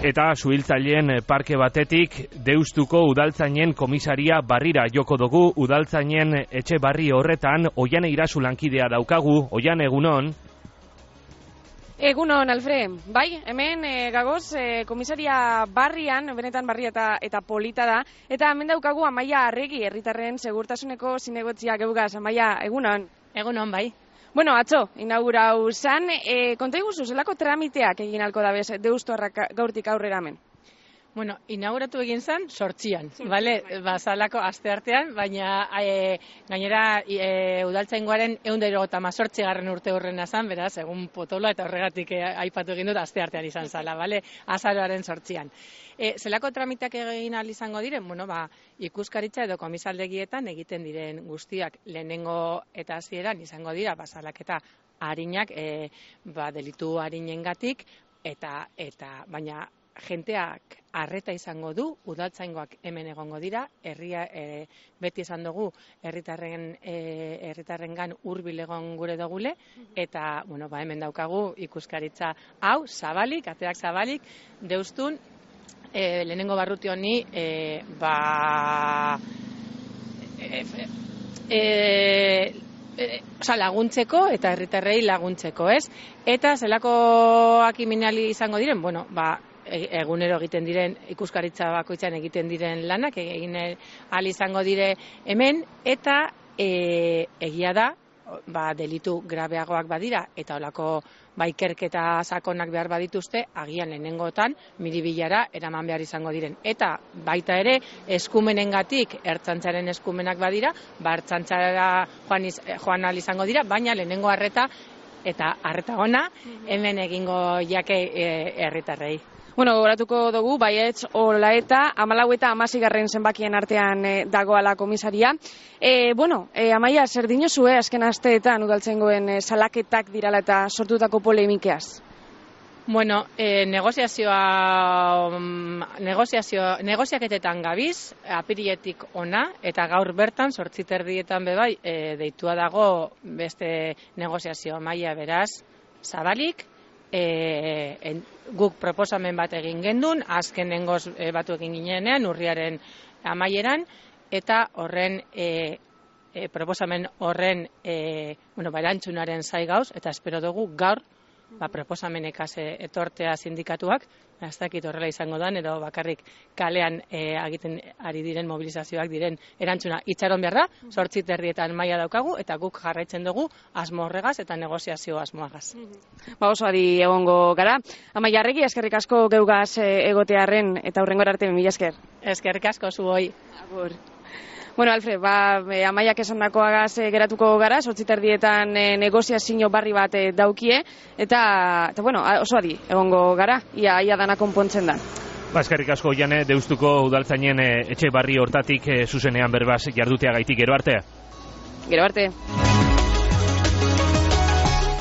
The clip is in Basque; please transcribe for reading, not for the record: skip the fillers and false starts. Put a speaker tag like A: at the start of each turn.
A: Eta suhiltzaileen parke batetik Deustuko udaltzainen komisaria barrira joko dugu. Udaltzainen etxe barri horretan Oiane Irasu lankidea daukagu. Oiane, egunon.
B: Egunon, Alfred. Bai, hemen gagoz komisaria barrian, benetan barria eta polita da. Eta hemen daukagu Amaia Arregi, herritarren segurtasuneko zinegotzia geugaz. Amaia, egunon.
C: Egunon, bai.
B: Bueno, atzo, inaugurau zan, konta iguzu, zelako tramiteak egin alko dabez Deustorrak gaurtik aurrera hemen?
C: Bueno, inauguratu egin zan, 8an, bale, bazalako aste artean, baina gainera udaltzaingoaren 178. urte horrena zan, beraz, egun potoloa eta horregatik aipatu egin dut aste artean izan zala, bale, azaroaren 8an. Zelako tramiteak egin ahal izango diren? Bueno, ikuskaritza edo komisaldegietan egiten diren guztiak lehenengo eta hasieran izango dira, bazalaketa arinak, delitu arinengatik, eta baina jenteak arreta izango du, udaltzaingoak hemen egongo dira, herria beti esan dugu herritarrengan hurbil egon gure dugule, eta hemen daukagu ikuskaritza hau zabalik, ateak zabalik, Deustun lehenengo barruti honi laguntzeko eta herritarrei laguntzeko, ez? Eta zelakoak iminali izango diren, egunero egiten diren, ikuskaritza bakoitzan egiten diren lanak, egin ahal izango dire hemen, eta egia da, delitu grabeagoak badira, eta olako ikerketa sakonak behar badituzte, agian lehenengotan miribilara eraman behar izango diren. Eta baita ere, eskumenengatik, ertzaintzaren eskumenak badira, ertzaintzara joan ahal izango dira, baina lehenengo arreta, eta arreta ona, hemen egingo jake herritarrei.
B: Bueno, gogoratuko dugu, baietz, hola eta 14 eta 16 zenbakien artean dagoala komisaria. Amaia, zer dinozue azken asteetan udaltzaingoen salaketak dirala eta sortutako polemikeaz?
C: Bueno, negoziaketetan gabiz, apiriletik ona, eta gaur bertan, 8:30 bebai, deitua dago beste negoziazio maila beraz, zabalik, guk proposamen bat egin gendun, azkenengoz batu egin ginenean, urriaren amaieran, eta horren proposamen horren erantzunaren zai gauz, eta espero dugu gaur proposamenekaz etortea sindikatuak, ez dakit horrela izango dan, edo bakarrik kalean egiten ari diren mobilizazioak diren erantzuna itxaron behar da, 8:30 maila daukagu, eta guk jarraitzen dugu asmo horregaz eta negoziazio asmoagaz.
B: Oso adi egongo gara. Amaia Arregi, eskerrik asko geugaz egotearren, eta hurrengora arte, mila esker.
C: Eskerrik asko zuoi.
B: Agur. Bueno, Alfred, Amaiak esandakoagaz geratuko gara, 8:30 negoziazio barri bat daukie, eta oso adi egongo gara, ia dana konpontzen da.
A: Eskerrik asko, Oiane, Deustuko udaltzainen etxe barri hortatik zuzenean berbaz jarduteagaitik. Gero arte.
B: Gero arte.